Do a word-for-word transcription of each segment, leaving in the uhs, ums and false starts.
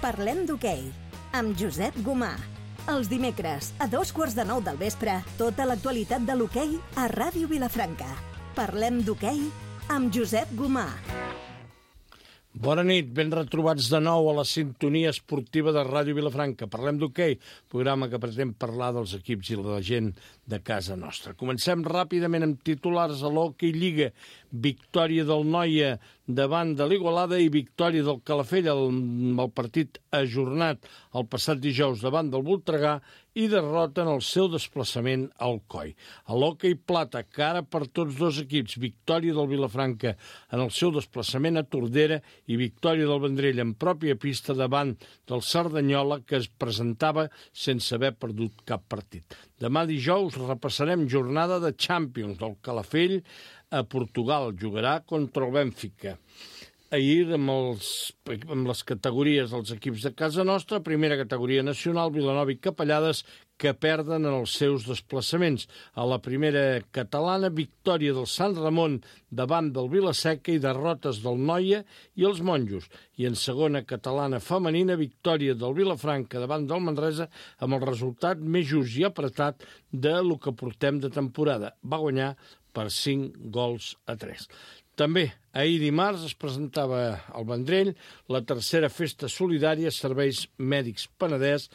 Parlem d'hoquei, amb Josep Gomà. Els dimecres, a dos quarts de nou del vespre, tota l'actualitat de l'hoquei a Ràdio Vilafranca. Parlem d'hoquei amb Josep Gomà. Bona nit, ben retrobats de nou a la sintonia esportiva de Ràdio Vilafranca. Parlem d'hoquei, programa que pretén parlar dels equips i la gent de casa nostra. Comencem ràpidament amb titulars a l'Hockey Lliga. Victòria del Noia davant de l'Igualada i victòria del Calafell amb el partit ajornat el passat dijous davant del Voltregà i derrota en el seu desplaçament al Coi. A l'Hockey Plata, cara per tots dos equips, victòria del Vilafranca en el seu desplaçament a Tordera i victòria del Vendrell en pròpia pista davant del Cerdanyola, que es presentava sense haver perdut cap partit. Demà dijous repassarem jornada de Champions del Calafell a Portugal. Jugarà contra el Bènfica. Ahir, amb, els, amb les categories dels equips de casa nostra, primera categoria nacional, Vilanova i Capellades, que perden en els seus desplaçaments. A la primera catalana, victòria del Sant Ramon davant del Vilaseca i derrotes del Noia i els Monjos. I en segona catalana femenina, victòria del Vilafranca davant del Manresa amb el resultat més just i apretat de lo que portem de temporada. Va guanyar per cinc gols a tres. També, ahir dimarts es presentava al Vendrell la tercera festa solidària Serveis Mèdics Penedès,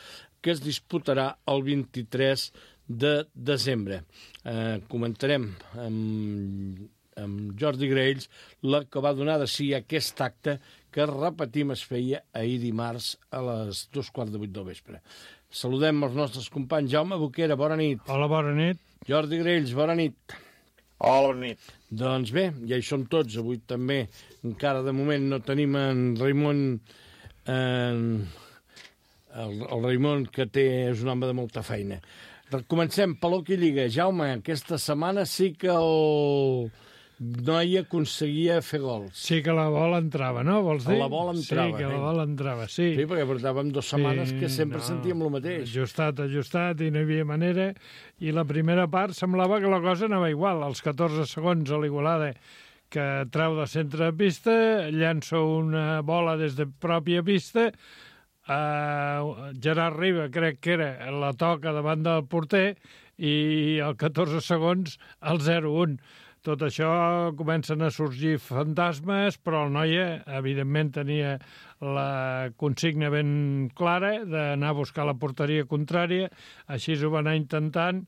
que es disputarà el vint-i-tres de desembre. Eh, comentarem amb, amb Jordi Graells la que va donar de si aquest acte que, repetim, es feia ahir dimarts a les dos quarts de vuit del vespre. Saludem els nostres companys. Jaume Boquera, bona nit. Hola, bona nit. Jordi Graells, bona nit. Hola, bona nit. Doncs bé, ja hi som tots. Avui també, encara de moment, no tenim en Raimon... En... El, el Raimon, que té, és un home de molta feina. Comencem per l'Hockey Lliga. Jaume, aquesta setmana sí que el Noia aconseguia fer gols. Sí que la bola entrava, no? Vols dir? La bola entrava. Sí, que la bola entrava, sí. Sí, perquè portàvem dues setmanes sí, que sempre no, sentíem el mateix. Ajustat, ajustat, i no hi havia manera. I la primera part semblava que la cosa anava igual. Als catorze segons a l'Igualada, que treu de centre de pista, llança una bola des de pròpia pista, Uh, Gerard Riba, crec que era, la toca davant del porter i al catorze segons el zero un. Tot això comencen a sorgir fantasmes, però el Noia, evidentment, tenia la consigna ben clara d'anar a buscar la porteria contrària, així ho va anar intentant,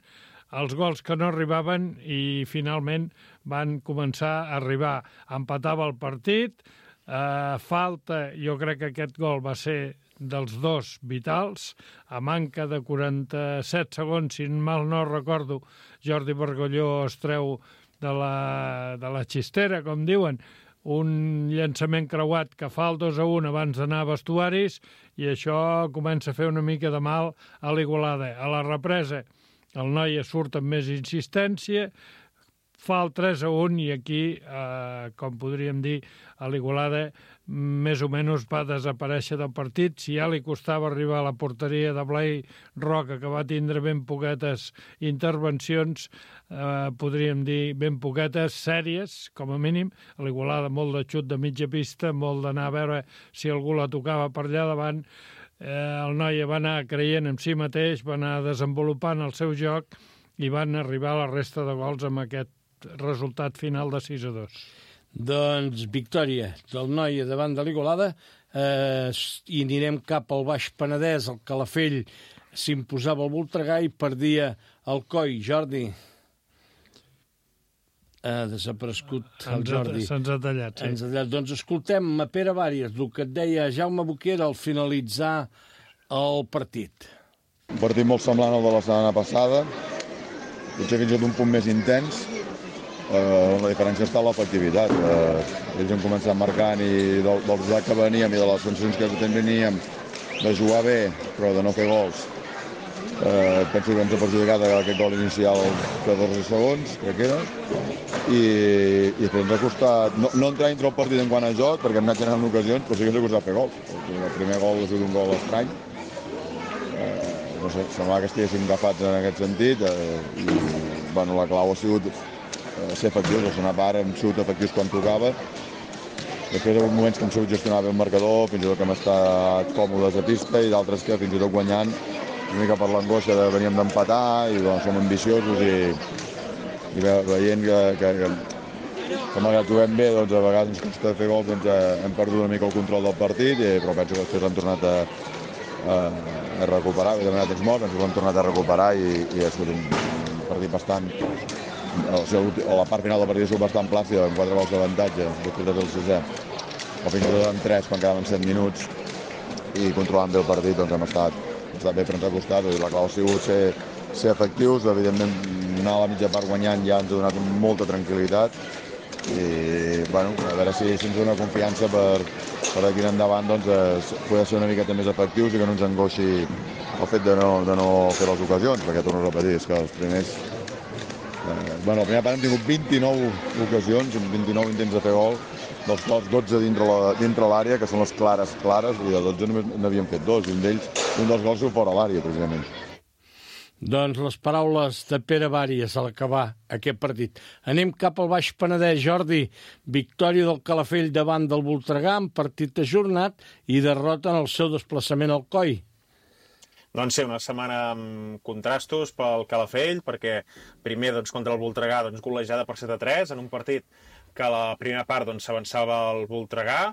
els gols que no arribaven i finalment van començar a arribar. Empatava el partit, uh, falta, jo crec que aquest gol va ser dels dos vitals, a manca de quaranta-set segons, si mal no recordo, Jordi Bargolló es treu de la, de la xistera, com diuen, un llançament creuat que fa el dos a un abans d'anar a vestuaris, i això comença a fer una mica de mal a l'Igualada. A la represa, el Noia surt amb més insistència, fa el tres a un i aquí, eh, com podríem dir, a l'Igualada més o menys va desaparèixer del partit. Si ja li costava arribar a la porteria de Blai Roca, que va tindre ben poquetes intervencions, eh, podríem dir ben poquetes sèries, com a mínim. A l'Igualada molt de xut de mitja pista, molt d'anar a veure si algú la tocava per allà davant. Eh, el Noia va anar creient en si mateix, va anar desenvolupant el seu joc i van arribar a la resta de gols amb aquest resultat final de sis a dos. Doncs victòria del Noia davant de l'Igualada, eh, i anirem cap al Baix Penedès. El Calafell s'imposava al Voltregà i perdia el Coi. Jordi, ha desaparegut el Jordi. Se'ns ha tallat, sí. Ens ha tallat. Doncs escoltem a Pere Vàries, el que et deia Jaume Boquera al finalitzar el partit. Un partit molt semblant al de la setmana passada, potser fins i tot un punt més intens. Uh, la diferència està a l'efectivitat. Uh, ells han començat marcant i del, del resultat que veníem i de les sensacions que teníem de jugar bé, però de no fer gols. Uh, penso que ens ha perjudicat aquest gol inicial catorze segons, crec que era, i, i després ens ha costat no, no entrar dintre el partit en quant a joc, perquè hem anat generant ocasions, però sí que ens ha costat fer gols. El primer gol ha sigut un gol estrany. Uh, no sé, semblava que estiguéssim agafats en aquest sentit, uh, i bueno, la clau ha sigut ser efectius, a la segona part hem sigut efectius quan tocava Després hi ha hagut moments que hem sabut gestionar bé el marcador, fins i tot que hem estat còmodes a pista, i d'altres que fins i tot guanyant, una mica per l'angoixa de veníem d'empatar, i doncs, som ambiciosos i, i ve, veient que, que, que, que malgrat juguem bé, doncs, a vegades ens costa fer gols, doncs, hem perdut una mica el control del partit, i, però penso que després hem tornat a, a, a recuperar, he demanat temps morts, penso que hem tornat a recuperar i, i ha sigut un, un partit bastant... O sigui, la part final del partit ha sigut bastant plàcida, amb quatre gols d'avantatge, després de fer el sisè, o fins i tot amb tres quan quedaven set minuts, i controlant bé el partit, doncs hem estat, hem estat bé, però ens ha costat. La clau ha sigut ser, ser efectius, evidentment anar a la mitja part guanyant ja ens ha donat molta tranquil·litat, i bueno, a veure si, si ens dona confiança per, per aquí en endavant, doncs, eh, poder ser una miqueta més efectius i que no ens angoixi el fet de no, de no fer les ocasions, perquè torno a repetir, és que els primers... Eh, bueno, la primera part hem tingut vint-i-nou ocasions, vint-i-nou intents de fer gol, dels quals dotze dintre l'àrea, que són les clares, clares, i de dotze només n'havíem fet dos, i un d'ells, un dels gols fora a l'àrea, precisament. Doncs les paraules de Pere Bàries a l'acabar aquest partit. Anem cap al Baix Penedès, Jordi. Victòria del Calafell davant del Voltregà, en partit ajornat, i derrota en el seu desplaçament al Coi. Doncs sí, una setmana amb contrastos pel Calafell, perquè primer doncs, contra el Voltregà doncs, golejada per set a tres, en un partit que a la primera part doncs, s'avançava el Voltregà,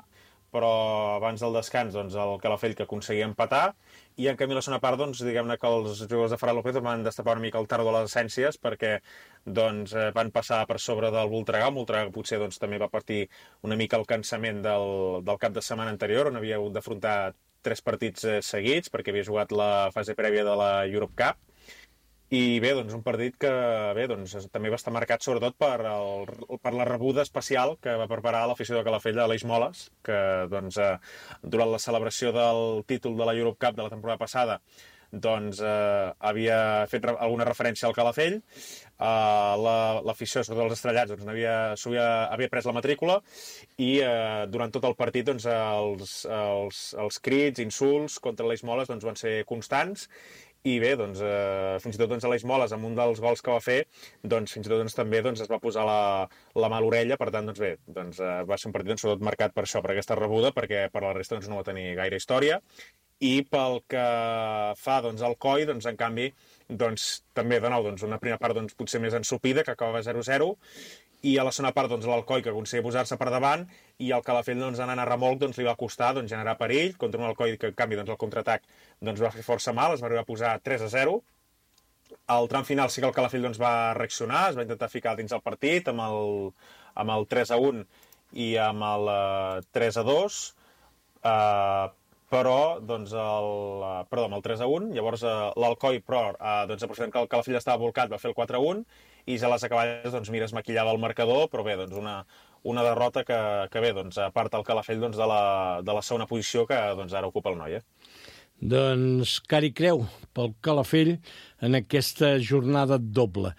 però abans del descans doncs, el Calafell que aconseguia empatar, i en canvi la segona part, doncs, diguem-ne que els jugadors de Ferran López van destapar una mica el tardo de les essències, perquè doncs, van passar per sobre del Voltregà. El Voltregà potser doncs, també va partir una mica el cansament del, del cap de setmana anterior, on havia hagut d'afrontar tres partits eh, seguits, perquè havia jugat la fase prèvia de la Europe Cup, i bé, doncs un partit que bé, doncs, també va estar marcat sobretot per, el, per la rebuda especial que va preparar l'afició de Calafell a l'Eix Moles, que doncs, eh, durant la celebració del títol de la Europe Cup de la temporada passada doncs eh, havia fet re alguna referència al Calafell, eh, l'afició, la, sobretot els estrellats, doncs, havia, havia, havia pres la matrícula, i eh, durant tot el partit doncs, els, els, els crits, insults contra l'Eix Moles doncs, van ser constants, i bé, doncs, eh, fins i tot doncs, a l'Eix Moles, amb un dels gols que va fer, doncs, fins i tot doncs, també doncs, es va posar la, la mà a l'orella, per tant, doncs, bé, doncs, eh, va ser un partit doncs, sobretot marcat per això, per aquesta rebuda, perquè per la resta doncs, no va tenir gaire història. I pel que fa doncs, al Coi, doncs, en canvi, doncs, també, de nou, doncs, una primera part doncs, potser més ensopida, que acabava zero a zero, i a la segona part doncs, l'Alcoi, que aconseguia posar-se per davant, i el Calafell doncs, anant a remolc doncs, li va costar doncs, generar perill, contra un Alcoi que, en canvi, doncs, el contraatac doncs, va fer força mal, es va arribar a posar tres a zero. Al tram final sí que el Calafell doncs, va reaccionar, es va intentar ficar dins el partit amb el, amb el tres a un i amb el uh, tres a dos, uh, però doncs, el, uh, perdó, amb el tres a un, llavors uh, l'Alcoi, però uh, doncs, aprofitant que el Calafell estava volcat, va fer el quatre a un, i ja a les acaballes, doncs, mira, es maquillava el marcador, però bé, doncs, una, una derrota que, que bé, doncs, aparta el Calafell doncs, de, la, de la segona posició que doncs, ara ocupa el Noia. Doncs cari creu pel Calafell en aquesta jornada doble.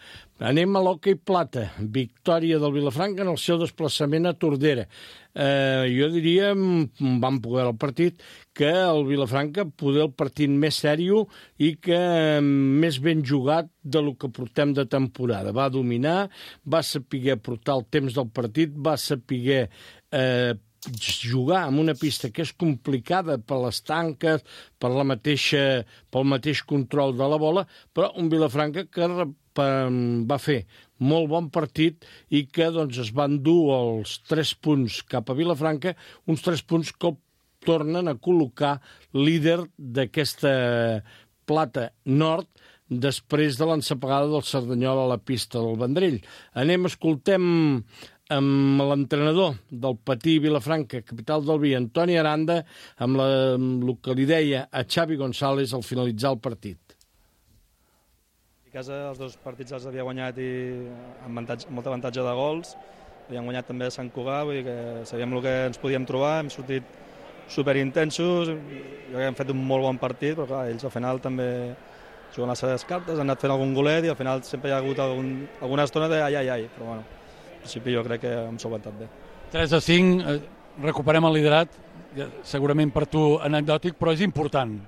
Anem a l'hoquei plata. Victòria del Vilafranca en el seu desplaçament a Tordera. Eh, jo diria, vam poder el partit, que el Vilafranca poder el partit més sèrio i que més ben jugat de lo que portem de temporada. Va dominar, va saber portar el temps del partit, va saber eh, jugar en una pista que és complicada per les tanques, per la mateixa, pel mateix control de la bola, però un Vilafranca que va fer molt bon partit i que doncs, es van dur els tres punts cap a Vilafranca, uns tres punts que tornen a col·locar líder d'aquesta plata nord després de l'ensapegada del Cerdanyol a la pista del Vendrell. Anem, escoltem amb l'entrenador del Patí Vilafranca, capital del Vi, Antoni Aranda, amb, la, amb el que li deia a Xavi González al finalitzar el partit. A casa els dos partits els havia guanyat i amb, avantatge, amb molta avantatge de gols. Havíem guanyat també a Sant Cugat, vull dir que sabíem el que ens podíem trobar, hem sortit superintensos, jo crec que hem fet un molt bon partit, però clar, ells al final també juguen les seves cartes, han anat fent algun golet i al final sempre hi ha hagut algun, alguna estona de ai, ai, ai, però bueno, en principi jo crec que hem solventat bé. tres a cinc, recuperem el liderat, segurament per tu anecdòtic, però és important.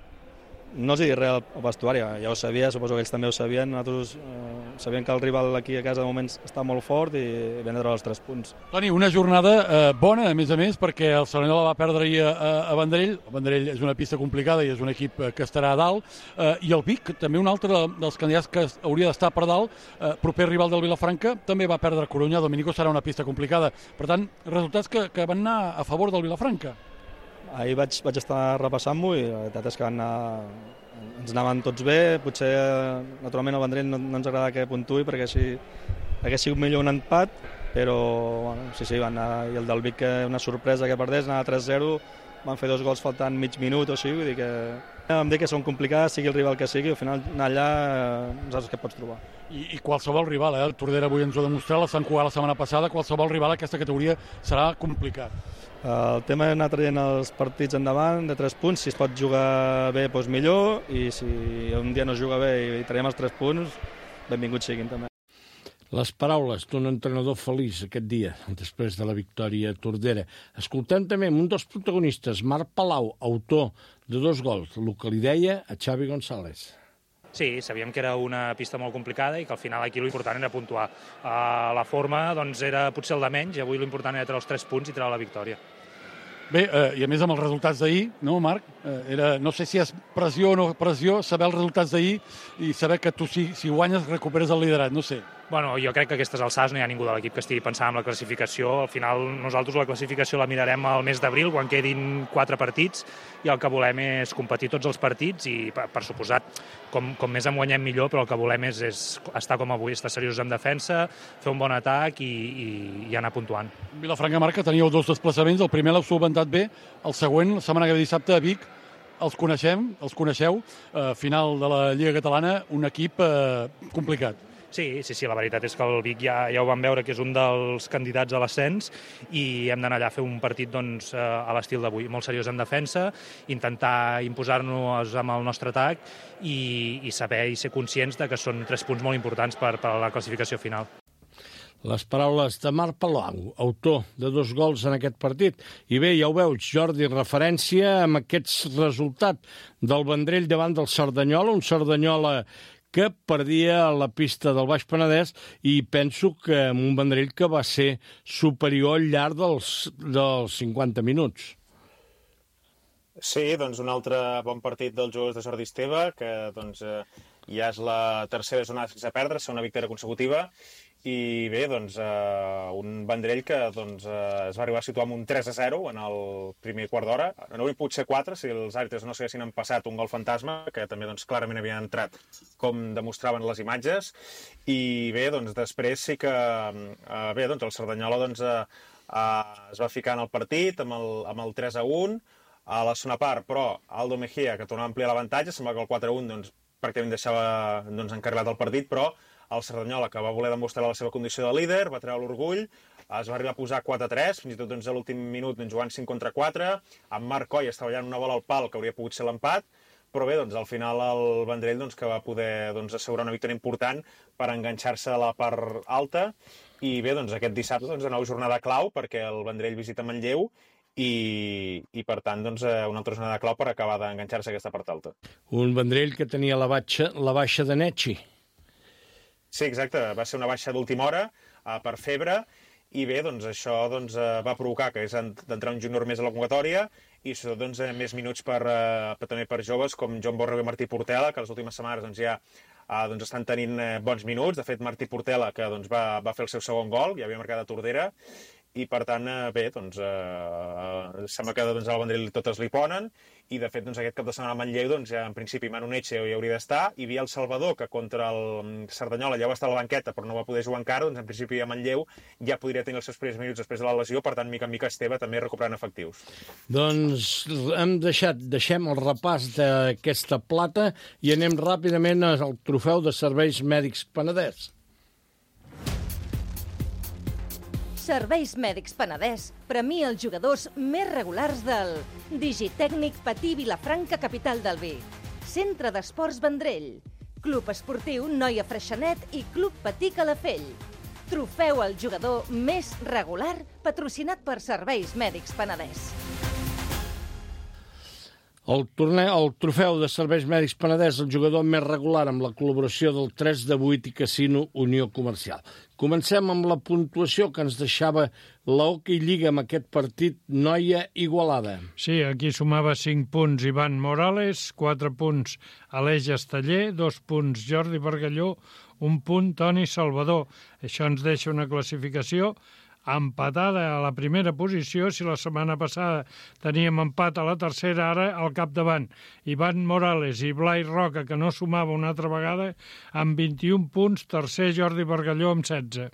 no els hi dic res al vestuari, ja ho sabia, suposo que ells també ho sabien, nosaltres eh, sabíem que el rival aquí a casa de moment està molt fort i vam treure els tres punts. Toni, una jornada eh, bona, a més a més, perquè el Cerdanyola va perdre ahir a, a Vendrell. El Vendrell és una pista complicada i és un equip que estarà a dalt, eh, i el Vic, també un altre dels candidats que hauria d'estar per dalt, eh, proper rival del Vilafranca, també va perdre a Corunya. Dominico serà una pista complicada. Per tant, resultats que, que van anar a favor del Vilafranca. Ahir vaig, vaig estar repassant-m'ho i la veritat és que van anar, ens anaven tots bé. Potser, naturalment, el Vendrell no, no ens agrada que puntuï perquè així hagués sigut millor un empat, però bueno, sí, sí, van anar, i el del Vic, una sorpresa que perdés, anava tres zero, van fer dos gols faltant mig minut o així, vull dir que vam dir que són complicades, sigui el rival que sigui, al final anar allà no saps què pots trobar. I, i qualsevol rival, eh? El Tordera avui ens ho ha demostrat, la Sant Cugat la setmana passada, qualsevol rival a aquesta categoria serà complicat. El tema és anar traient els partits endavant de tres punts, si es pot jugar bé, doncs millor, i si un dia no es juga bé i traiem els tres punts, benvinguts siguin també. Les paraules d'un entrenador feliç aquest dia, després de la victòria a Tordera. Escoltem també un dels protagonistes, Marc Palau, autor de dos gols, el que li deia a Xavi González. Sí, sabíem que era una pista molt complicada i que al final aquí l'important era puntuar. Uh, la forma doncs, era potser el de menys, i avui l'important era treure els tres punts i treure la victòria. Bé, eh, i a més amb els resultats d'ahir, no, Marc? Eh, era, no sé si és pressió o no pressió, saber els resultats d'ahir i saber que tu, si, si guanyes, recuperes el liderat, no sé. Bueno, jo crec que a aquestes alçades no hi ha ningú de l'equip que estigui pensant en la classificació. Al final nosaltres la classificació la mirarem al mes d'abril, quan quedin quatre partits, i el que volem és competir tots els partits i, per, per suposat, com, com més en guanyem millor, però el que volem és, és estar com avui, estar seriosos en defensa, fer un bon atac i, i, i anar puntuant. Vilafranca, Marc, que teníeu dos desplaçaments, el primer l'heu solventat bé, el següent, la setmana que ve dissabte a Vic, els coneixem, els coneixeu, eh, final de la Lliga Catalana, un equip eh, complicat. Sí, sí, sí, la veritat és que el Vic ja, ja ho vam veure que és un dels candidats a l'ascens i hem d'anar allà a fer un partit doncs, a l'estil d'avui, molt seriós en defensa, intentar imposar-nos amb el nostre atac i, i saber i ser conscients de que són tres punts molt importants per, per a la classificació final. Les paraules de Marc Palau, autor de dos gols en aquest partit. I bé, ja ho veus, Jordi, referència amb aquests resultats del Vendrell davant del Cerdanyola, un Cerdanyola que perdia la pista del Baix Penedès i penso que amb un Vendrell que va ser superior al llarg dels, dels cinquanta minuts. Sí, doncs un altre bon partit dels jugadors de Jordi Esteve, que doncs, eh, ja és la tercera jornada sense perdre, és una victòria consecutiva. I bé, doncs, eh, un Vendrell que doncs, eh, es va arribar a situar amb un tres a zero en el primer quart d'hora. No hauria pogut ser quatre si els àrbitres no s'haguessin empassat un gol fantasma, que també doncs, clarament havia entrat, com demostraven les imatges. I bé, doncs, després sí que eh, bé, doncs, el Cerdanyola doncs, eh, eh, es va ficar en el partit amb el, amb el tres a un a la segona part, però Aldo Mejía, que tornava a ampliar l'avantatge, sembla que el quatre a un doncs, pràcticament deixava doncs, encarrilat el partit, però el Cerdanyola, que va voler demostrar la seva condició de líder, va treure l'orgull, es va arribar a posar quatre a tres, fins i tot doncs, a l'últim minut doncs, jugant cinc contra quatre, amb Marc Coll estava ballant una bola al pal que hauria pogut ser l'empat, però bé, doncs, al final el Vendrell doncs, que va poder doncs, assegurar una victòria important per enganxar-se a la part alta, i bé, doncs, aquest dissabte doncs, de nou jornada clau, perquè el Vendrell visita Manlleu, i, i per tant doncs, una altra jornada clau per acabar d'enganxar-se a aquesta part alta. Un Vendrell que tenia la baixa, la baixa de Netxi. Sí, exacte. Va ser una baixa d'última hora uh, per febre i bé, doncs això doncs, uh, va provocar que és d'entrar un júnior més a la convocatòria i sobretot doncs, més minuts per, uh, per, també per joves com Joan Borrego i Martí Portela, que les últimes setmanes doncs, ja uh, doncs, estan tenint uh, bons minuts. De fet, Martí Portela, que doncs, va, va fer el seu segon gol, ja havia marcat a Tordera, i per tant, bé, doncs, eh, sembla que doncs, al Vendrell totes li ponen, i de fet doncs, aquest cap de setmana a Manlleu, doncs, ja en principi Manu Netxe hi hauria d'estar, i Biel Salvador, que contra el Cerdanyola ja va estar a la banqueta però no va poder jugar encara, doncs en principi a Manlleu ja podria tenir els seus primers minuts després de la lesió, per tant, mica en mica Esteve també recuperant efectius. Doncs hem deixat, deixem el repàs d'aquesta plata i anem ràpidament al trofeu de Serveis Mèdics Penedès. Serveis Mèdics Penedès premia els jugadors més regulars del Digitècnic Patí Vilafranca, capital del vi, Centre d'Esports Vendrell, Club Esportiu Noia Freixenet i Club Patí Calafell. Trofeu al jugador més regular patrocinat per Serveis Mèdics Penedès. El, torne... el trofeu de Serveis Mèdics Penedès, el jugador més regular amb la col·laboració del tres de vuit i Casino Unió Comercial. Comencem amb la puntuació que ens deixava l'Hockey Lliga amb aquest partit Noia-Igualada. Sí, aquí sumava cinc punts Ivan Morales, quatre punts Aleix Esteller, dos punts Jordi Bargalló, un punt Toni Salvador. Això ens deixa una classificació empatada a la primera posició. Si la setmana passada teníem empat a la tercera, ara al capdavant Ivan Morales i Blai Roca, que no sumava una altra vegada, amb vint-i-un punts, tercer Jordi Bargalló amb setze.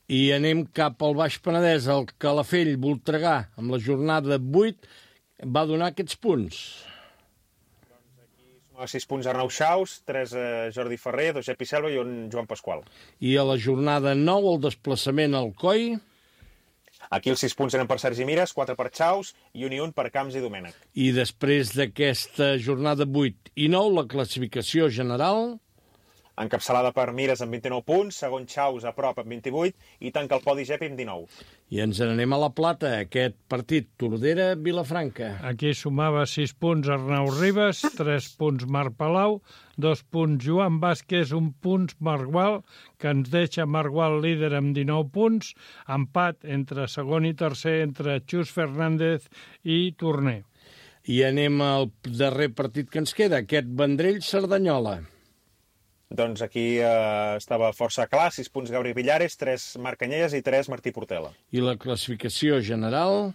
I anem cap al Baix Penedès, el Calafell Voltregà, amb la jornada vuit, va donar aquests punts. A sis punts Arnau Xaus, tres eh, Jordi Ferrer, dos Epi Selva i un Joan Pasqual. I a la jornada nou, el desplaçament al Coi. Aquí els sis punts eren per Sergi Mires, quatre per Xaus i un i un per Camps i Domènech. I després d'aquesta jornada vuit i nou, la classificació general... Encapçalada per Mires amb vint-i-nou punts, segon Xaus a prop amb vint-i-vuit i tanca el podi Gepi amb dinou. I ens n'anem a la Plata, aquest partit Tordera-Vilafranca. Aquí sumava sis punts Arnau Ribas, tres punts Marc Palau, dos punts Joan Vázquez, un punt Marc Gual, que ens deixa Marc Gual líder amb dinou punts, empat entre segon i tercer entre Xus Fernández i Torner. I anem al darrer partit que ens queda, aquest Vendrell-Cerdanyola. Doncs aquí eh, estava força clar, sis punts Gabriel Villares, tres Marc Canyelles i tres Martí Portela. I la classificació general...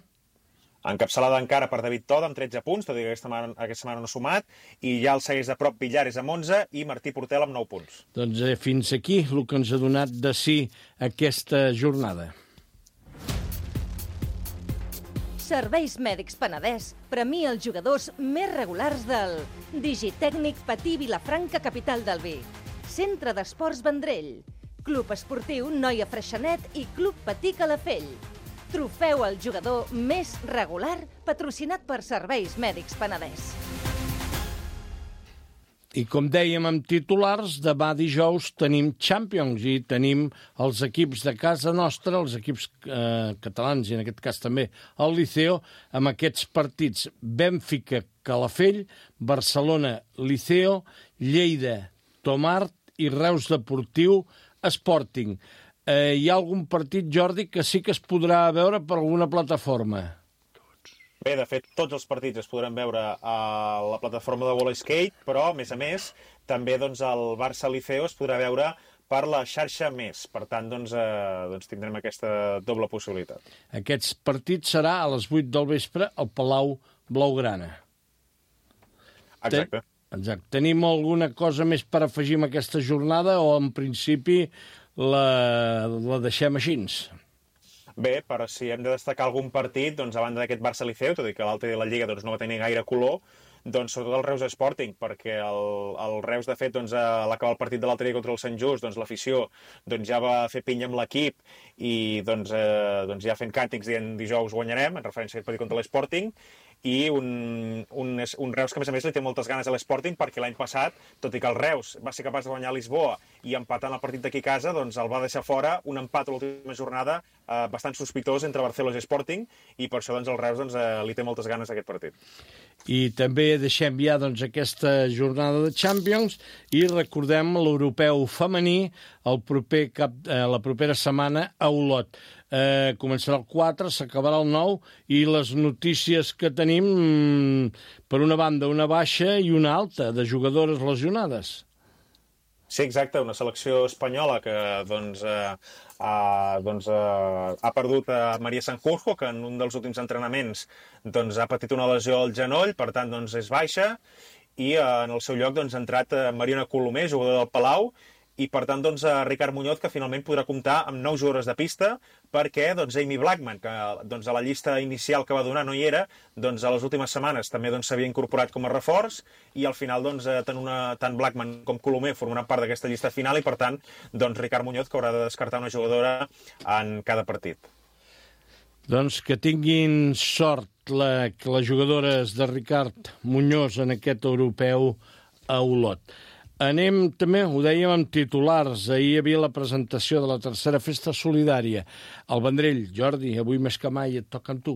Encapçalada encara per David Toda amb tretze punts, tot i que aquesta setmana, aquesta setmana no ha sumat, i ja el segueix de prop Villares amb onze i Martí Portela amb nou punts. Doncs eh, fins aquí el que ens ha donat de si aquesta jornada. Serveis Mèdics Penedès premia els jugadors més regulars del Digitècnic Patí Vilafranca, capital del Vi, Centre d'Esports Vendrell, Club Esportiu Noia Freixenet i Club Patí Calafell. Trofeu al jugador més regular patrocinat per Serveis Mèdics Penedès. I com dèiem amb titulars, demà dijous tenim Champions i tenim els equips de casa nostra, els equips eh, catalans i en aquest cas també el Liceo, amb aquests partits Bènfica-Calafell, Barcelona-Liceo, Lleida-Tomart i Reus Deportiu Sporting. Eh, hi ha algun partit, Jordi, que sí que es podrà veure per alguna plataforma? Bé, de fet, tots els partits es podran veure a la plataforma de Wall Skate, però, a més a més, també doncs, el Barça-Liceo es podrà veure per la xarxa Més. Per tant, doncs, eh, doncs tindrem aquesta doble possibilitat. Aquests partits serà a les vuit del vespre al Palau Blaugrana. Exacte. Ten... Exacte. Tenim alguna cosa més per afegir en aquesta jornada o, en principi, la, la deixem així? Bé, però si hem de destacar algun partit, doncs a banda d'aquest Barça-Liceu, tot i que l'altre de la Lliga doncs, no va tenir gaire color, doncs sobretot el Reus Sporting, perquè el, el Reus, de fet, doncs, a l'acabar el partit de l'altre dia contra el Sant Just, doncs l'afició doncs, ja va fer pinya amb l'equip i doncs, eh, doncs ja fent càntics dient dijous guanyarem, en referència a aquest partit contra l'Sporting, i un, un, un Reus que, a més a més, li té moltes ganes a l'Sporting perquè l'any passat, tot i que el Reus va ser capaç de guanyar a Lisboa i empatant el partit d'aquí a casa, doncs el va deixar fora un empat a l'última jornada eh, bastant sospitós entre Barcelona i Sporting i per això doncs, el Reus doncs, eh, li té moltes ganes a aquest partit. I també deixem ja doncs, aquesta jornada de Champions i recordem l'europeu femení el proper cap, eh, la propera setmana a Olot. Eh, començarà el quatre, s'acabarà el nou i les notícies que tenim, per una banda, una baixa i una alta de jugadores lesionades. Sí, exacte, una selecció espanyola que doncs, eh, ha, doncs, eh, ha perdut a Maria Sanjurjo, que en un dels últims entrenaments doncs, ha patit una lesió al genoll, per tant doncs, és baixa, i eh, en el seu lloc doncs, ha entrat eh, Mariona Colomer, jugadora del Palau, i per tant doncs, Ricard Muñoz, que finalment podrà comptar amb nou jugadores de pista, perquè doncs, Amy Blackman, que doncs, a la llista inicial que va donar no hi era, doncs, a les últimes setmanes també s'havia doncs, incorporat com a reforç, i al final doncs, tant, una, tant Blackman com Colomer formaran part d'aquesta llista final, i per tant doncs, Ricard Muñoz, que haurà de descartar una jugadora en cada partit. Doncs que tinguin sort la, les jugadores de Ricard Muñoz en aquest europeu a Olot. Anem també, ho dèiem amb titulars, ahir hi havia la presentació de la tercera festa solidària. El Vendrell, Jordi, avui més que mai et toca amb tu.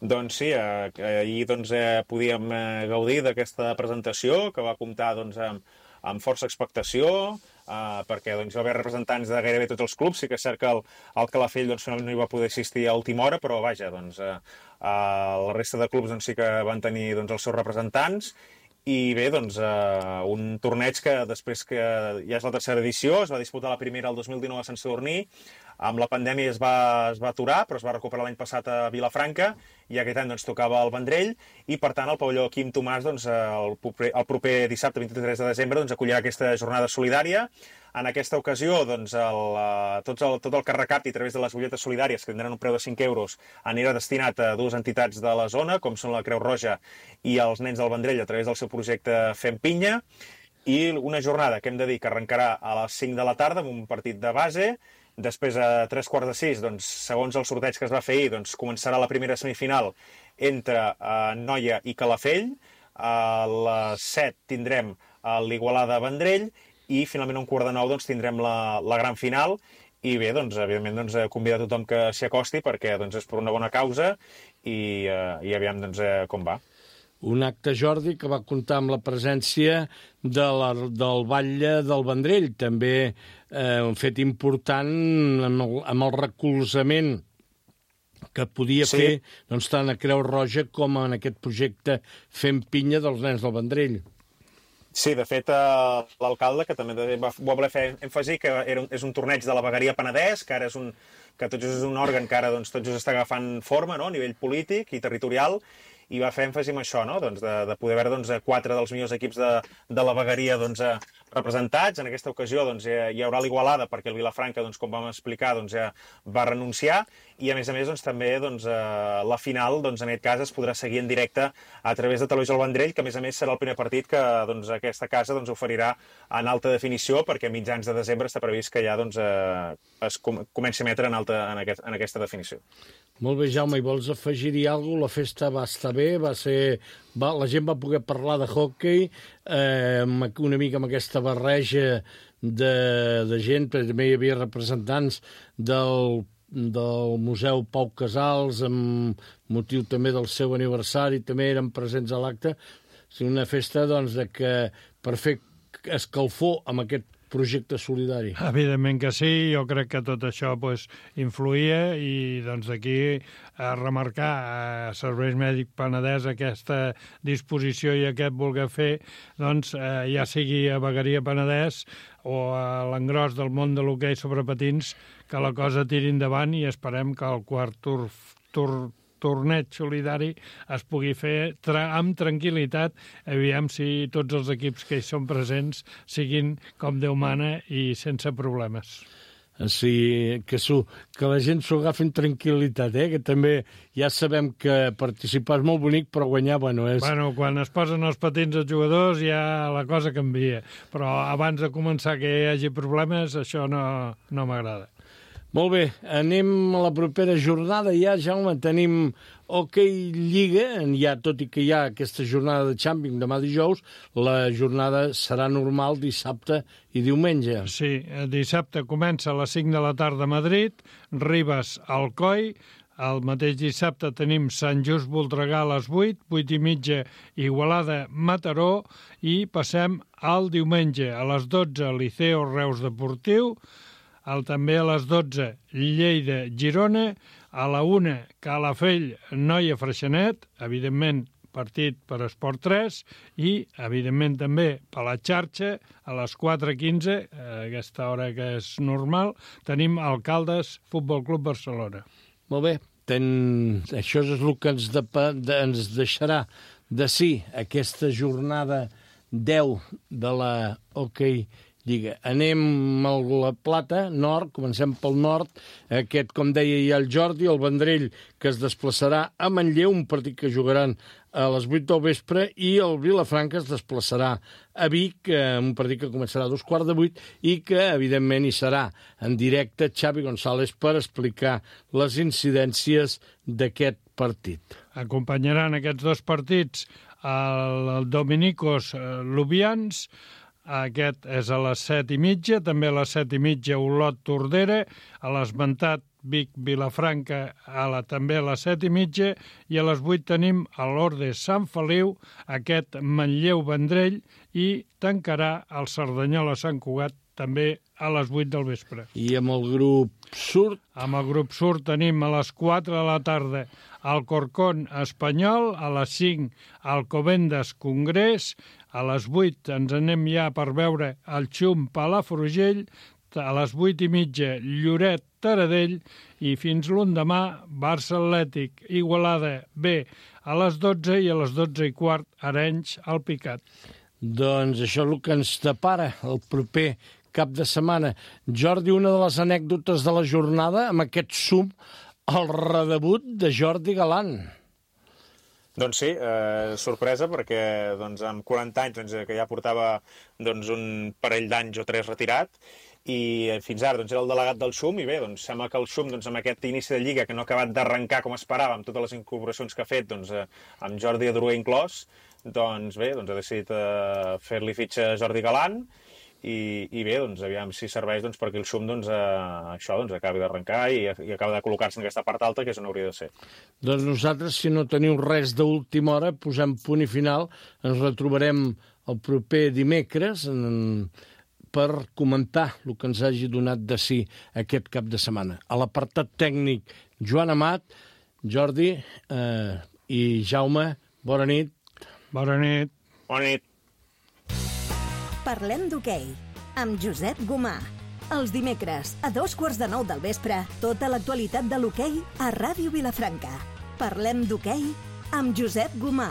Doncs sí, eh, ahir doncs, eh, podíem eh, gaudir d'aquesta presentació que va comptar doncs, amb, amb força expectació, eh, perquè doncs, hi va haver representants de gairebé tots els clubs. Sí que és cert que el, el Calafell doncs, finalment no hi va poder assistir a última hora, però vaja, doncs, eh, eh, la resta de clubs doncs, sí que van tenir doncs, els seus representants. I bé, doncs, eh, un torneig que després que ja és la tercera edició, es va disputar la primera el dos mil dinou a Sant Sadurní, amb la pandèmia es va, es va aturar, però es va recuperar l'any passat a Vilafranca, i aquest any doncs, tocava al Vendrell, i per tant el pavelló Quim Tomàs doncs, el, proper, el proper dissabte vint-i-tres de desembre doncs, acollirà aquesta jornada solidària. En aquesta ocasió, doncs, el, tot, el, tot el que recapti a través de les butlletes solidàries, que tindran un preu de cinc euros, anirà destinat a dues entitats de la zona, com són la Creu Roja i els Nens del Vendrell, a través del seu projecte Fem Pinya, i una jornada que hem de dir que arrencarà a les cinc de la tarda amb un partit de base. Després, a tres quarts de sis, doncs, segons el sorteig que es va fer ahir, doncs, començarà la primera semifinal entre eh, Noia i Calafell. A les set tindrem l'Igualada Vendrell, i finalment a un quart de nou doncs, tindrem la, la gran final. I bé, doncs, evidentment, doncs, convidar tothom que s'hi acosti, perquè doncs, és per una bona causa, i, eh, i aviam doncs, eh, com va. Un acte, Jordi, que va comptar amb la presència de la, del Batlle del Vendrell, també eh, un fet important amb el, amb el recolzament que podia sí. fer doncs, tant a Creu Roja com en aquest projecte Fem Pinya dels Nens del Vendrell. Sí, de fet, eh, l'alcalde, que també va, va voler fer èmfasi, que era un, és un torneig de la vegueria Penedès, que ara és un, que tot just és un òrgan que ara doncs, tot just està agafant forma, no?, a nivell polític i territorial, i va fer èmfasi en això, no?, doncs, de, de poder veure doncs, quatre dels millors equips de, de la vegueria doncs, representats. En aquesta ocasió doncs, hi haurà l'Igualada, perquè el Vilafranca, doncs, com vam explicar, doncs, ja va renunciar, i a més a més doncs, també doncs, eh, la final, doncs, en aquest cas, es podrà seguir en directe a través de Televisió El Vendrell, que a més a més serà el primer partit que doncs, aquesta casa doncs, oferirà en alta definició, perquè a mitjans de desembre està previst que ja doncs, eh, es com comenci a emetre en, alta, en, aquest, en aquesta definició. Molt bé, Jaume, i vols afegir-hi alguna cosa? La festa va estar bé, va ser... Va, la gent va poder parlar de hockey, eh, una mica amb aquesta barreja de, de gent, perquè també hi havia representants del, del Museu Pau Casals, amb motiu també del seu aniversari, també eren presents a l'acte. O sigui, una festa doncs, de que per fer escalfor amb aquest projecte solidari. Evidentment que sí, jo crec que tot això pues, influïa, i doncs d'aquí a remarcar a Serveis Mèdics Penedès aquesta disposició i aquest voler fer, doncs eh, ja sigui a Vegueria Penedès o a l'engròs del món de l'hoquei sobre patins, que la cosa tiri endavant, i esperem que el quart tur, tur torneig solidari es pugui fer tra amb tranquil·litat, aviam si tots els equips que hi són presents siguin com Déu mana i sense problemes. Sí, que, que la gent s'ho agafi amb tranquil·litat, eh? Que també ja sabem que participar és molt bonic, però guanyar, bueno, és... Bueno, quan es posen els patins els jugadors ja la cosa canvia, però abans de començar que hi hagi problemes, això no, no m'agrada. Molt bé, anem a la propera jornada. Ja, Jaume, tenim Hockey Lliga, ja, tot i que hi ha aquesta jornada de Champions demà dijous, la jornada serà normal dissabte i diumenge. Sí, dissabte comença a les cinc de la tarda a Madrid, Ribes Alcoi, el mateix dissabte tenim Sant Just Voltregà a les vuit, vuit i mitja Igualada Mataró, i passem al diumenge a les dotze Liceo Reus Deportiu, el, també a les dotze Lleida Girona, a la una Calafell Noia Freixenet, evidentment partit per Esport tres, i evidentment també per la xarxa a les quatre quinze, a aquesta hora que és normal, tenim Alcaldes Futbol Club Barcelona. Molt bé, ten... això és el que ens, de... De... ens deixarà de sí aquesta jornada deu de la Hockey Lliga. Anem a la Plata, nord, comencem pel nord. Aquest, com deia ja el Jordi, el Vendrell, que es desplaçarà a Manlleu, un partit que jugaran a les vuit del vespre, i el Vilafranca es desplaçarà a Vic, un partit que començarà a dos quarts de vuit, i que, evidentment, hi serà en directe Xavi González per explicar les incidències d'aquest partit. Acompanyaran aquests dos partits el Dominicos Lubians. Aquest és a les set i mitja, també a les set i mitja Olot Tordera, a l'esmentat Vic-Vilafranca a la, també a les set i mitja, i a les vuit tenim a l'Orde Sant Feliu, aquest Manlleu-Vendrell, i tancarà el Cerdanyola-Sant Cugat també a les vuit del vespre. I amb el grup Surt? Amb el grup Surt tenim a les quatre de la tarda Alcorcón Espanyol, a les cinc Alcobendas Congrés, a les vuit ens anem ja per veure el Xum Palafrugell, a les vuit i mitja Lloret Taradell, i fins l'endemà Barça Atlètic Igualada B a les dotze, i a les dotze i quart Arenys al Picat. Doncs això és el que ens depara el proper cap de setmana. Jordi, una de les anècdotes de la jornada, amb aquest sum, el redebut de Jordi Galant. Doncs sí, eh, sorpresa, perquè doncs, amb quaranta anys doncs, que ja portava doncs, un parell d'anys o tres retirat, i fins ara doncs, era el delegat del Xum, i bé, doncs, sembla que el Xum, doncs, amb aquest inici de Lliga, que no ha acabat d'arrencar com esperava, amb totes les incorporacions que ha fet, doncs, eh, amb Jordi Adroer inclòs, doncs bé, doncs, ha decidit eh, fer-li fitxa a Jordi Galant, i, i bé, doncs, aviam si serveix doncs, perquè el Xum doncs, eh, això doncs, acabi d'arrencar i, i acabi de col·locar-se en aquesta part alta, que és on hauria de ser. Doncs nosaltres, si no teniu res d'última hora, posem punt i final. Ens retrobarem el proper dimecres en, per comentar el que ens hagi donat de si aquest cap de setmana. A l'apartat tècnic, Joan Amat, Jordi eh, i Jaume, bona nit. Bona nit. Bona nit. Parlem d'hoquei, amb Josep Gomà. Els dimecres, a dos quarts de nou del vespre, tota l'actualitat de l'hoquei a Ràdio Vilafranca. Parlem d'hoquei amb Josep Gomà.